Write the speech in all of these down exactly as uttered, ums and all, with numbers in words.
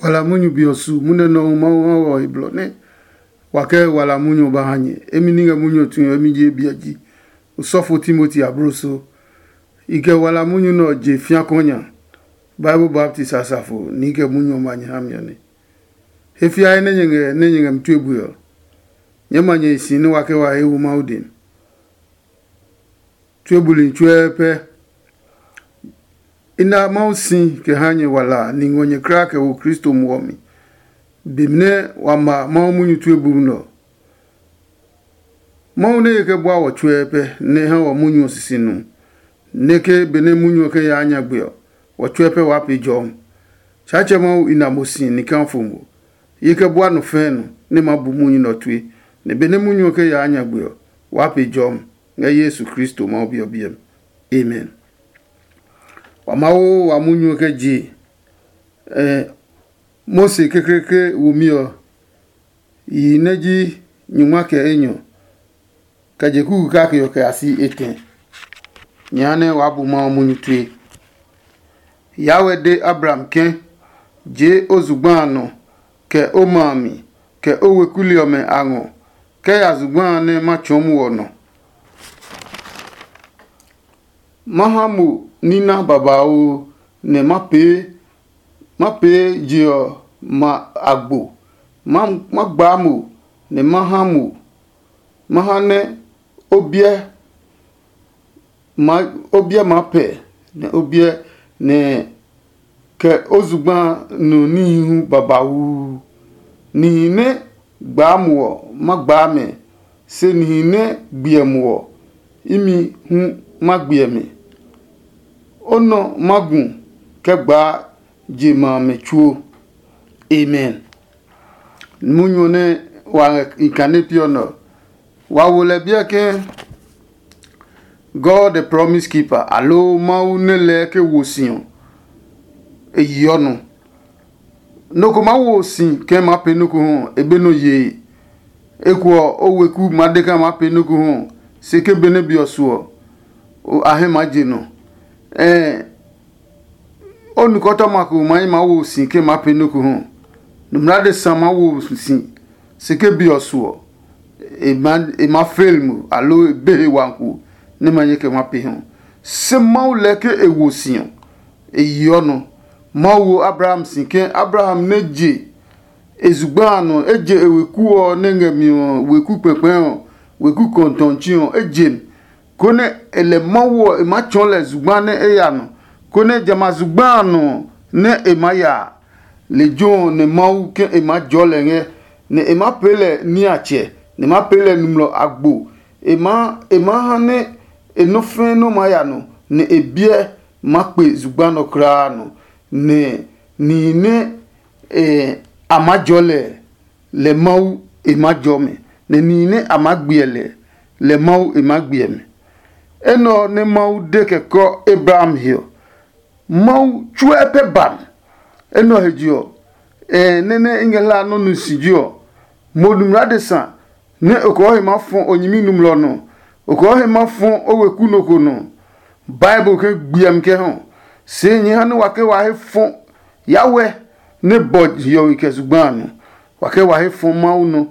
Wala munyu be ɔ su munyu nɛ Mawu ha wɔ he blɔ nɛ wa kɛ wala munyu ɔ ba ha nyɛ. Emi ní ngɛ munyu ɔ tue ɔ, emi ji Ebiaji, osɔfo Timoti abloso. I kɛ wala munyu nɛ ɔ je fĩa kɔnya, Bible Baptist asafo ni i kɛ munyu ɔ ma nyɛ ha mi ɔ nɛ. He fiae nɛ nyɛ ngɛ nɛ nyɛ ngɛ mi tue bue ɔ, nyɛɛ ma nyɛ hi si nɛ wa kɛ wa he wo Mawu dɛ mi. Tue buli tsuɛ pɛ. I na Mawu si kɛ ha nyɛ wala a, ni ngɔ nyɛ kulaa kɛ wo Kristo muɔ mi, be nɛ wa ma Mawu munyu tue bumi nɛ ɔ. Mawu nɛ ye kɛ bua wɔ tsuɛ pɛ nɛ e ha wɔ munyu ɔ sisi nu, nɛ ke benɛ munyu ɔ kɛ yaa nyagbe ɔ, wɔ tsuɛ pɛ waa pee jɔmi. Tsaatsɛ Mawu i na mo si nikafo mo. Ye kɛ bua nɔ fɛɛ nɔ nɛ ma bu munyu nɛ ɔ tue, nɛ benɛ munyu ɔ kɛ yaa nyagbe ɔ, waa pee jɔmi ngɛ Yesu Kristo Mawu Bi ɔ biɛ mi. Amen. Wa Mawu wa munyu ɔ kɛ je. Eh, Mose kekleekle womi ɔ, yihi nɛ ji nyungma kɛ enyɔ, kɛ je kuku kake ɔ kɛ ya si etɛ. Nyɛ ha nɛ waa bu Mawu munyu tue. Yahweh de Abraham ke, jee o zugba a nɔ, kɛ o ma a mi, kɛ o weku li ɔmɛ a ngɔ, kɛ ya zugba a nɛ ma tsɔɔ mo ɔ nɔ. Ma ha mo nina babauu, nɛ ma pee ma pee je ɔ ma agbo. Ma ma gbaa mo, nɛ ma ha mo, ma ha nɛ o biɛ ma o biɛ maa pɛ, nɛ o biɛ nɛ kɛ o zugba nu níhi hu babauu. Nihi nɛ gbaa mo ɔ, ma gbaa mɛ, se nihi nɛ gbiɛ mo ɔ, imi hu ma gbiɛ mɛ. O nɔ ma gu kɛ gbaa je ma amɛ tsuo. Amen. Munyu nɛ wa ngɛ i kane piɔ nɛ ɔ, wa wo lɛ biɛ ke God the promise keeper, aloo Mawu nɛ lɛɛ ke wo si ɔ, e yeɔ nɔ. Nɔ ko maa wo si ke e maa pee nɔ́ ko hu ɔ, e be nɔ yee. Eko ɔ, o weku maa de kaa maa pee nɔ́ ko hu ɔ, se ke benɛ be ɔ su ɔ, o- a hɛ maa je nɔ. Ɛɛ, o nukɔtɔma ko maa yi maa wo si ke maa pee nɔ́ ko hu ɔ. Nɔmlɔ adesa maa wo si, se ke be ɔ su ɔ, e maa e maa fail mo, aloo e be he wanku nɛ ma nyɛ kɛ ma pee hu. Se Mawu lɛ ke e wo si ɔ, e yeɔ nɔ. Mawu wo Abraham si ke Abraham nɛ je e zugba a nɔ, e je e weku ɔ nɛ ngɛ mi ɔ weku kpɛkpɛ ɔ, weku kɔntɔnci ɔ, e je mi, konɛ e lɛ Mawu ɔ e maa tsɔɔ lɛ zugba nɛ e ya nɔ, konɛ jamɛ a zugba a nɔ nɛ e maa ya a, lejɛ ɔ nɛ Mawu ke e maa jɔɔ lɛ ngɛ, nɛ e maa pee lɛ niatsɛ, nɛ e maa pee lɛ nɔmlɔ agbo. E maa e maa ha nɛ e nɔ́ fɛ̃ nɔ́ maa ya nɔ, nɛ e biɛ maa kpe zugba nɔ kulaa nɔ, nɛ nihi nɛ e a maa jɔɔ lɛ, lɛ Mawu e maa jɔɔ mɛ, nɛ nihi nɛ a maa gbiɛ lɛ, lɛ Mawu e maa gbiɛ mɛ. Enɛ ɔ nɛ Mawu de kɛ kɔ Abraham he ɔ, Mawu tsuɛ pɛ ba mi. Enɛ ɔ he je ɔ, ɛ nɛ nɛ i ngɛ hlaa nɔ́ nu si ji ɔ, mo numi adesa nɛ o kɔɔ he maa fɔ o nyɛmi nɔmlɔ nɔ, o kɔɔ he maa fɔ o weku nɔ ko nɔ. Bible ke gbiɛmi kɛ hɔ, se nyɛ ha nɛ wa ke wa he fɔ Yahweh nɛ bɔ hiɔwe kɛ zugba a nɔ. Wa ke wa he fɔ Mawu nɔ.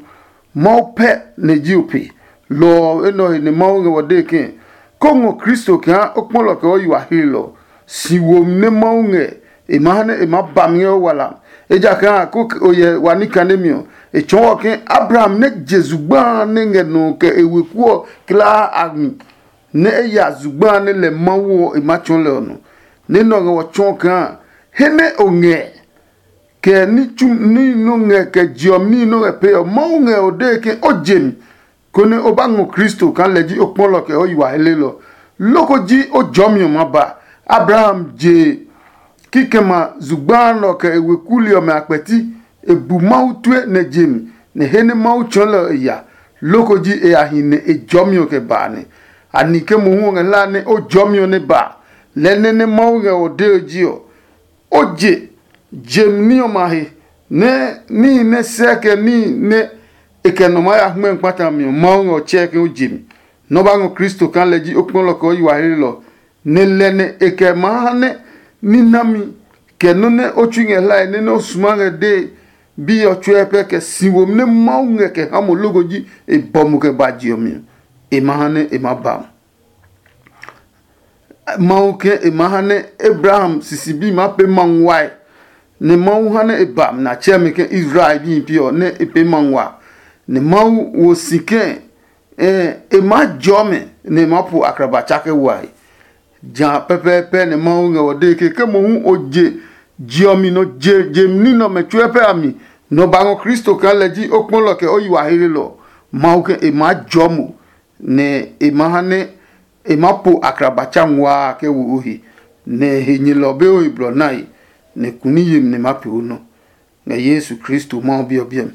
Mawu pɛ nɛ ji o pe. Lɔ ɔ enɛ ɔ he nɛ Mawu ngɛ wɔ dee ke, ko ngɔ Kristo kaa o kpɔlɔ kɛ o yi wa hlelɔ. Si womi nɛ Mawu ngɛ, e maa ha nɛ e maa ba mi ngɛ o wala. Ejakaa a ko o yɛ wa ní kane mi ɔ, e tsɔɔ wɔ ke Abraham nɛ je zugba a nɛ ngɛ nɔ kɛ e weku ɔ kulaa a mi, nɛ e ya zugba a nɛ lɛ Mawu ɔ e maa tsɔɔ lɛ ɔ nɔ. Nɛ nɛ ɔ ngɛ wɔ tsɔɔ kaa he nɛ o ngɛ kɛ ní tsu ní nɔ ngɛ kɛ je ɔ ní nɔ ngɛ pee ɔ, Mawu ngɛ o dee ke o je mi, konɛ o ba ngɔ Kristo kaa lɛ ji o kpɔlɔ kɛ o yi wa helelɔ. Loko ji o jɔmi ɔ ma ba. Abraham je kikɛmɛ zugba nɔ kɛ e weku li ɔmɛ a kpɛti, e bu Mawu tue nɛ je mi, nɛ he nɛ Mawu tsɔɔ lɛ ɔ e ya. Loko ji e ya hi nɛ e jɔmi ɔ kɛ ba a nɛ. A ni ke mohu ɔ ngɛ hlaa nɛ o jɔmi ɔ nɛ ba. Lɛɛ nɛ nɛ Mawu ngɛ ɔ dee ɔ ji ɔ, o je jem ní ɔmɛ a he, nɛ níhi nɛ sɛɛ kɛ níhi nɛ e kɛ nɔ maa ya hmɛmi kpata mi ɔ, Mawu ngɛ ɔ tsɛɛ ke o je mi. Nɔ́ ba ngɔ Kristo kaa lɛ ji o kpɔlɔ kɛ o yi wa helelɔ, nɛ lɛ nɛ e kɛ maa ha nɛ ní nami kɛ nɔ́ nɛ o tsui ngɛ hlae nɛ nɛ o suma ngɛ dee bi ɔ tsuɛ pɛ kɛ si womi nɛ Mawu ngɛ kɛ ha mo loko ji e bɔ mo kɛ ba je ɔ mi ɔ, e ma ha nɛ e ma ba mo. Mawu ke e ma ha nɛ Abraham sisi bi ma pee ma nguae, nɛ Mawu ha nɛ e ba mɛ na tsɛ mɛ ke Israel bi pi ɔ nɛ e pee ma ngua, nɛ Mawu wo si ke e ma jɔ mɛ nɛ e ma po akraba tsake wae. Ja pɛpɛɛpɛ nɛ Mawu ngɛ wɔ dee ke ke mohu o je je ɔ mi nɔ je je ní nɛ ɔmɛ tsuɛ pɛ a mi nɔ ba ngɔ Kristo kaa lɛ ji o kpɔlɔ kɛ o yi wa heelelɔ ɔ, Mawu ke e maa jɔ mo, nɛ e ma ha nɛ e ma po akraba tsa nguaa kɛ wo o he, nɛ he nyɛlɔ be o he blɔ nae, nɛ kuni yemi nɛ ma pee o nɔ ngɛ Yesu Kristo Mawu Bi ɔ biɛ mi.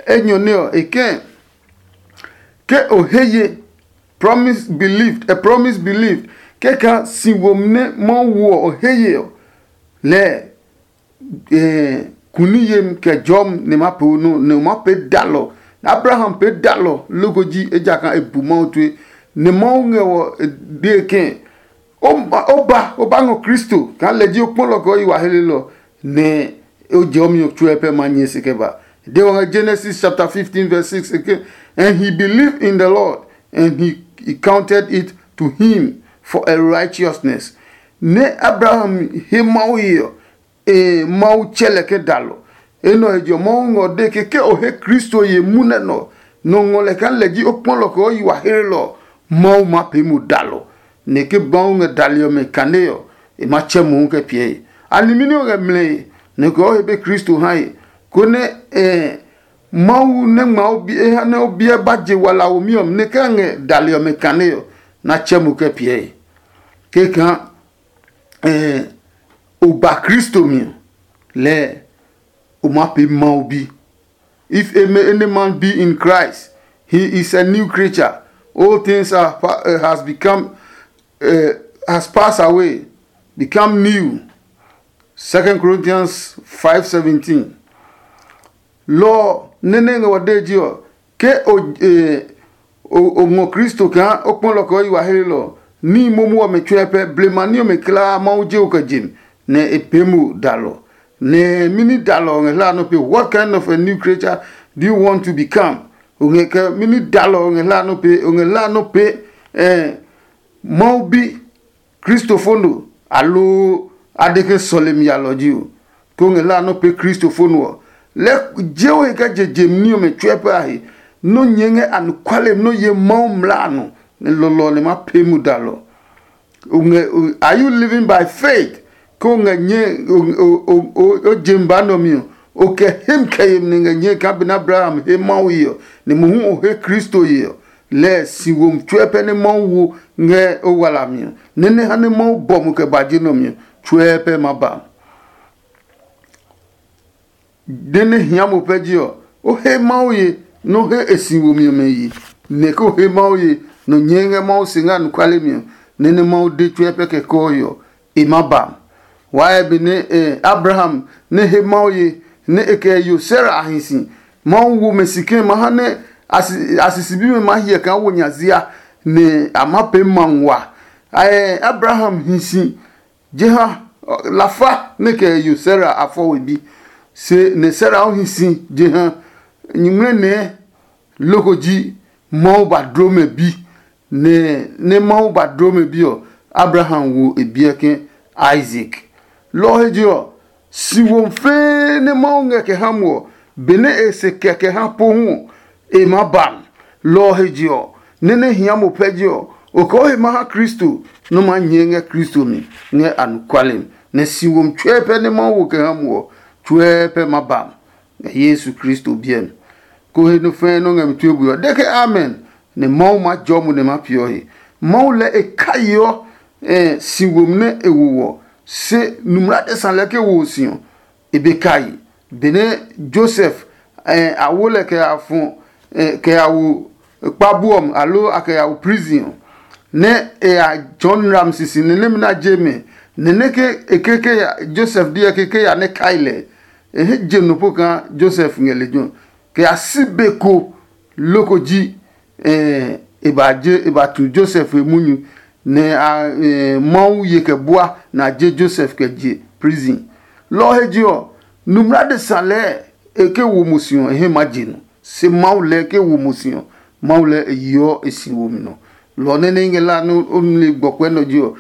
Enyɔ nɛ ɔ, e kɛ̃ ke o he ye promise believed, a promise believed, kɛkɛ si womi nɛ Mawu wo ɔ, o he ye ɔ, lɛɛ eh, kuni yem kɛ jɔm nɛ ma pee o nɔ nɛ o ma pee dalɔ. Abraham pee dalɔ loko ji ejakaa e bu Mawu tue, nɛ Mawu ngɛ wɔ e dee ke o ba o ba ngɔ Kristo kaa lɛ ji o kpɔlɔ kɛ o yi wa helelɔ, nɛ o jɛ o mi tsuɛ pɛ ma nyɛ se kɛ ba. De wɔ ngɛ Genesis chapter fifteen verse six ke, and he believed in the Lord, and he, he counted it to him for a righteousness. Nɛ Abraham he Mawu ye ɔ, e Mawu tsɛ lɛ ke dalɔ. Enɛ ɔ he je ɔ, Mawu ngɔ de ke ke o he Kristo ye munɛ nɔ nɔ ngɔ lɛ kaa lɛ ji o kpɔlɔ kɛ o yi wa hlelɔ ɔ, Mawu ma pee mo dalɔ. Nɛ ke Mawu ngɛ dali ɔmɛ kane ɔ, e ma tsɛ mohu kɛ piɛ he. A nimi nɛ o ngɛ mlɛe nɛ kɛ o he be Kristo ha he, konɛ eh, Mawu nɛ ngma o bi e ha nɛ o biɛ ba je wala womi ɔ nɛ kɛ ngɛ dali ɔmɛ kane ɔ, na tsɛ mo kɛ piɛ he. Kɛkaa eh, o ba Kristo mi ɔ, lɛɛ o ma pee Mawu bi. If any man be in Christ, he is a new creature. All things are, pa- uh, has become uh, has passed away, become new. Second Corinthians five seventeen. Lɔ ɔ, nɛ nɛ ngɛ wa de ji ɔ, ke o eh, o o ngɔ Kristo kaa o kpɔlɔ kɛ o yi wa helelɔ ɔ, níhi momo ɔmɛ tsuɛ pɛ blema ní ɔmɛ kulaa Mawu je o kɛ je mi, nɛ e pee mo dalɔ. Nɛ mini dalɔ ɔ ngɛ hla nɔ pe? What kind of a new creature do you want to become? O ngɛ kɛ mini dalɔ ɔ ngɛ hla nɔ pe? O ngɛ hla nɔ pe eh, Mawu bi Kristo fo no, aloo a de ke sɔlemi yalɔ ji o? Ke o ngɛ hla nɔ pe Kristo fo no ɔ, lɛ je o he kɛ je je mi ní ɔmɛ tsuɛ pɛ a he, nɔ nyɛɛ ngɛ anɔkuale nɔ ye Mawu mlaa a nɔ, nɛ lɔlɔ ɔ nɛ ma pee mu dalɔ. O ngɛ o- are you living by faith? Ke o ngɛ nyɛ o- o- o- o- o je mi ba nɔ mi ɔ, o kɛ hem kɛ yemi nɛ ngɛ nyɛe kaa benɛ Abraham he Mawu ye ɔ, nɛ mohu o he Kristo ye ɔ, lɛɛ si womi tsuɛ pɛ nɛ Mawu wo ngɛ o wala mi ɔ, nɛ nɛ ha nɛ Mawu bɔ mo kɛ ba je nɔ mi ɔ, tsuɛ pɛ ma ba. Nɛ nɛ hia mo pɛ ji ɔ, o he Mawu ye, nɛ o he e si womi ɔmɛ ye, nɛ ke o he Mawu ye, nɔ nyɛɛ ngɛ Mawu se ngɛ anɔkuale mi ɔ, nɛ nɛ Mawu de tsuɛ pɛ kɛ kɔɔ ɔ, e ma ba. Waa benɛ eh, Abraham nɛ he Mawu ye, nɛ e kɛ yo Sara a hi si, Mawu wo mɛ si ke ma ha nɛ a si- a sisi bimɛ ma hyɛ kaa wo nya zia, nɛ a ma pee ma ngua. Eh, Abraham hi si jeha lafa nɛ kɛ yo Sara a fɔ we bi, se nɛ Sara ɔ hi si jeha nyuŋmlɛ nɛɛ loko ji Mawu ba dloo mɛ bi, nɛ nɛ Mawu ba dloo mɛ bi ɔ, Abraham wo e biɛ ke Isaac. Lɔ ɔ he je ɔ, si womi fɛɛ nɛ Mawu ngɛ kɛ ha mo ɔ, benɛ e se kɛ kɛ ha pohu ɔ, e maa ba mi. Lɔ ɔ he je ɔ, nɛ nɛ hia mo pɛ je ɔ, o kɛ o he ma ha Kristo nɛ o maa nyɛɛ ngɛ Kristo mi ngɛ anɔkuale mi, nɛ si womi tsuɛ pɛ nɛ Mawu wo kɛ ha mo ɔ, tsuɛ pɛ ma ba mi ngɛ Yesu Kristo biɛ mi. Ko he nɔ fɛɛ nɔ ngɛ mi tue bui ɔ, de ke amen, nɛ Mawu maa jɔɔ mo nɛ ma peeɔ he. Mawu lɛɛ e kaiɔ eh, si womi nɛ e wo wɔ, se numulatɛ sa lɛɛ ke wo si ɔ, e be kai. Benɛ Josef eh, a wo lɛ kɛ ya fɔ eh, kɛ ya wo kpabu ɔ mi, aloo a kɛ ya wo prison ɔ, nɛ e ya tsɔɔ nram sisi nɛ nɛmɛ na je mɛ, nɛ nɛ ke e ke ke ya Josef diɛ ke ke ya nɛ kai lɛ, e he je nɔ po kaa Josef ngɛ lejɛ ɔ, kɛ ya si be ko loko ji eh, e ba je e ba tu Josef he munyu, nɛ a eh, Mawu ye kɛ bua nɛ a je Josef kɛ je prison. Lɔ ɔ he je ɔ, numi adesa lɛɛ e ke wo mo si ɔ, e he maa je nɔ. Se Mawu lɛɛ ke wo mo si ɔ, Mawu lɛɛ e yeɔ e si womi nɔ. Lɔ ɔ nɛ nɛ i ngɛ la nɛ o nle gbɔkuɛ nɔ je ɔ,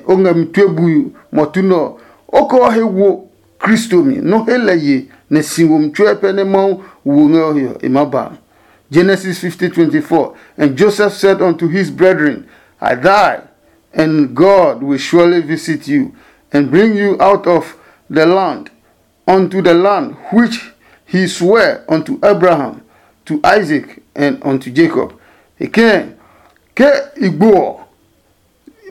o ngɛ mi tue bui mɔtu nɛ ɔ, o kɛ ɔ he wo Kristo mi, nɔ he lɛ ye nɛ si womi tsuɛ pɛ nɛ Mawu wo ngɛ ɔ he ɔ, e maa ba a. Genesis fifty twenty-four. And Joseph said unto his brethren, I die, and God will surely visit you, and bring you out of the land, unto the land which he sware unto Abraham, to Isaac, and unto Jacob. E kɛ̃, ke i gbo ɔ,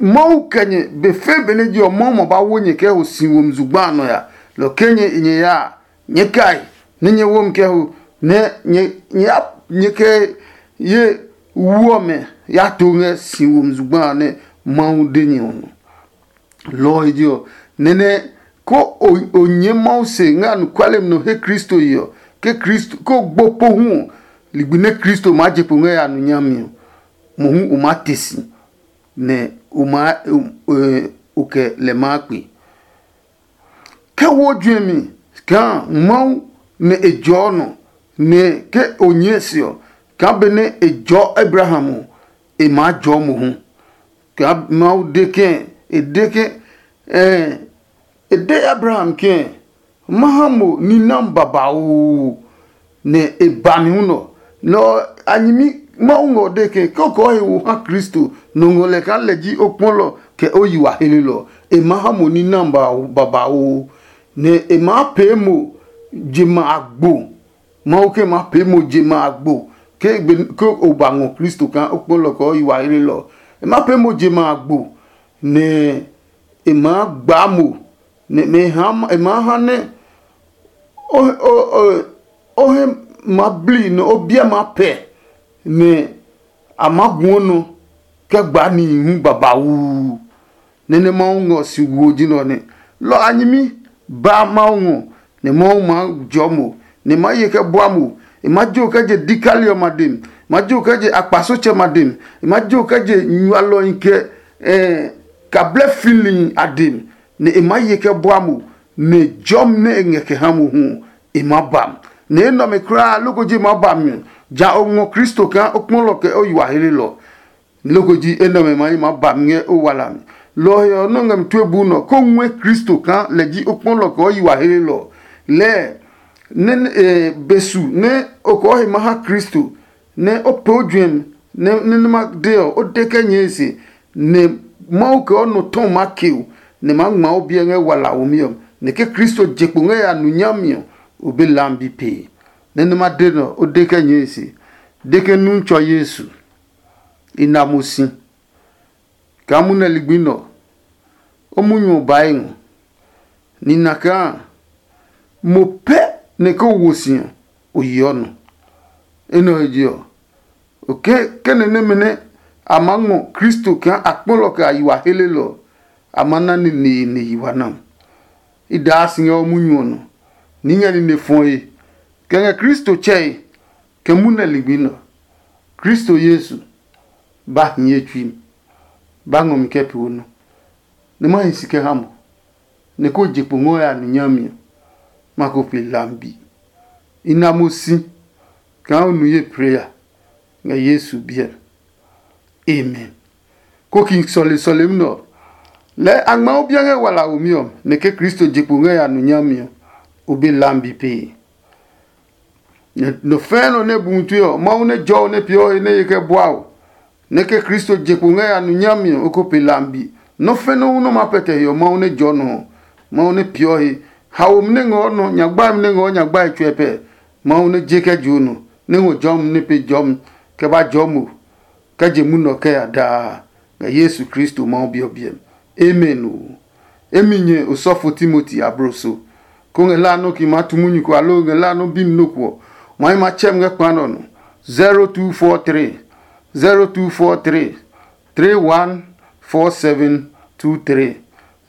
Mawu kɛ nyɛ be fe benɛ je ɔ, Mawu ma ba wo nyɛ kɛ ho si womi zugba a nɔ ya. Lɔ ke nyɛ nyɛ ya a, nyɛɛ kai nɛ nyɛ womi kɛ ho, nɛ nyɛ nyɛ ya nyɛ kɛ ye wu ɔmɛ ya to ngɛ si womi zugba a nɛ Mawu de nyɛ ɔ nɔ. Lɔ ɔ he je ɔ, nɛnɛ ko o o nyɛɛ Mawu se ngɛ anɔkuale nɔ he Kristo ye ɔ, ke Kristo ko gbo pohu ɔ, ligbi nɛ Kristo maa je kpo ngɛ ya nu nyami ɔ, mohu o maa te si, nɛ o maa o kɛ lɛ maa kpe. Ke wo juɛmi kaa Mawu nɛ e jɔɔ nɔ, nɛ ke o nyɛɛ se ɔ, kaa benɛ e jɔɔ Abraham ɔ, e maa jɔɔ mohu. Kaa Mawu de ke e de ke e de Abraham ke, ma ha mo nina babauu, nɛ e ba mi hu nɔ. Nɔ a nyɛmi Mawu ngɔ de ke ke o kɔɔ he wo ha Kristo, nɔ ngɔ lɛ kaa lɛ ji o kpɔlɔ kɛ o yi wa helelɔ. E maa ha mo nina babauu, nɛ e maa pee mo je ma agbo. Mawu ke ma pee mo je ma agbo ke o ba ngɔ Kristo kaa o kpɔlɔ kɛ o yi wa helelɔ. E ma pee mo je ma agbo, nɛ e maa gbaa mo, nɛ e maa ha nɛ o he ma bli nɛ o biɛ maa pɛ, nɛ a maa guɔ nɔ kɛ gbaa nihi hu babauu. Nɛ nɛ Mawu ngɔ si wo ji nɛ ɔ nɛ. Lɔ a nyɛmi ba Mawu ngɔ, nɛ Mawu maa jɔɔ mo, nɛ e maa ye kɛ bua mo. E maa jo kɛ je dikali ɔmɛ a dem, e maa jo kɛ je akpasotsɛmɛ a dem, e maa jo kɛ je nyualɔhi kɛ kablɛ filihi a dem, nɛ e maa ye kɛ bua mo, nɛ jɔmi nɛ e ngɛ kɛ ha mo hu ɔ, e maa ba mi. Nɛ enɛ ɔmɛ kulaa loko ji e maa ba mi ɔ, ja o ngɔ Kristo kaa o kpɔlɔ kɛ o yi wa helelɔ. Loko ji enɛ ɔmɛ maa yi maa ba mi ngɛ o wala mi. Lɔ ɔ he ɔ, nɔ́ ngɛ mi tue buu nɔ ko ngɔɛ Kristo kaa lɛ ji o kpɔlɔ kɛ o yi wa helelɔ. Lɛɛ nɛ be su nɛ o kɔɔ he ma ha Kristo, nɛ o pee o juɛmi, nɛ nɛ ma de ɔ, o de kɛ nyɛɛ se, nɛ Mawu kɛ o nɔ tɔ maa ke o, nɛ maa ngma o biɛ ngɛ wala womi ɔ. Nɛ ke Kristo je kpo ngɛ ya nu nyami ɔ, o be lambi pee. Nɛ nɛ ma de nɔ, o de kɛ nyɛɛ se, de ke nu tsɔ Yesu. I na mo si kaa munɛ ligbi nɛ ɔ, o munyu ɔ ba e ngɔ. Nina kaa mo pɛ nɛ ke o wo si ɔ, o yeɔ nɔ. Enɛ ɔ he je ɔ, o ke ke nɛ nɛmɛ nɛ a maa ngɔ Kristo kaa a kpɔlɔ kɛ a yi wa helelɔ ɔ, a maa na neneene yi wa na. I daa si ngɛ o munyu ɔ nɔ, ní ngɛ nine fɔe kɛ ngɛ Kristo tsɛe kɛ munɛ ligbi nɛ ɔ. Kristo Yesu, ba hiɛ tsui mi, ba ngɔ mi kɛ pee o nɔ, nɛ ma hi si kɛ ha mo, nɛ ko je kpo ngɔ ya nu nyami ɔ, ma ko pe lambi. I na mo si kaa o nu ye plee ya ngɛ Yesu biɛ mi. Amen. Ko ki sɔle sɔlemi nɛ ɔ, lɛɛ a ngma o biɛ ngɛ wala womi ɔ, nɛ ke Kristo je kpo ngɛ ya nu nyami ɔ, o be lambi pee. Nɔ fɛ̃ɛ nɔ nɛ bu ngutue ɔ, Mawu nɛ jɔɔ nɛ peeɔ he nɛ ye kɛ bua o, nɛ ke Kristo je kpo ngɛ ya nu nyami ɔ, o ko pe lambi. Nɔ́ fɛ́ nɔ́ hu nɔ́ ma pɛtɛ he ɔ, Mawu nɛ jɔɔ nɔ ɔ, Mawu nɛ peeɔ he. Haomi nɛ ngɔɔ nɔ, nyagbaemi nɛ ngɔɔ nyagbae tsuɛ pɛ, Mawu nɛ je kɛ joo nɔ, nɛ ngɔ jɔmi nɛ pe jɔmi kɛ ba jɔɔ mo kɛ je munɔ kɛ ya daa ngɛ Yesu Kristo Mawu Bi ɔ biɛ mi. Amen oo. Emi nyɛ osɔfo Timoti abloso, ko ngɛ hlaa nɔ́ ki maa tu munyu ko aloo ngɛ hlaa nɔ́ bi mi nɔ́ ko ɔ, ma yi ma tsɛ mi ngɛ kpa nɛ ɔ nɔ. Zero two four three, zero two four three, three one four seven two three,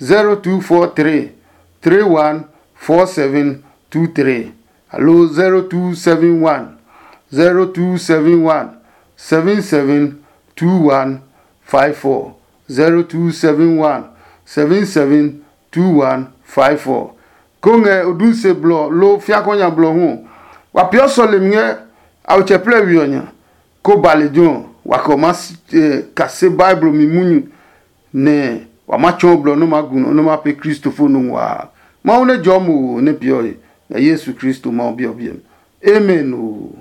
zero two four three, three one four seven two three, aloo zero two seven one, zero two seven one, seven seven two one five four, zero two seven one, seven seven two one five four. ko ngɛ odunse blɔ loo fiakɔ nya blɔ hu ɔ, wa peeɔ sɔlemi ngɛ awetsɛ plɛ we ɔ nya, ko ba lejɛ ɔ, wa kɛ ɔ maa kase Bible mi munyu, nɛ wa ma tsɔɔ blɔ nɛ ma gu nɔ nɛ ma pee Kristo fo nɔ nguaa. Mawu nɛ jɔɔ mo wo nɛ peeɔ he ngɛ Yesu Kristo Mawu Bi ɔ biɛ mi. Amen oo.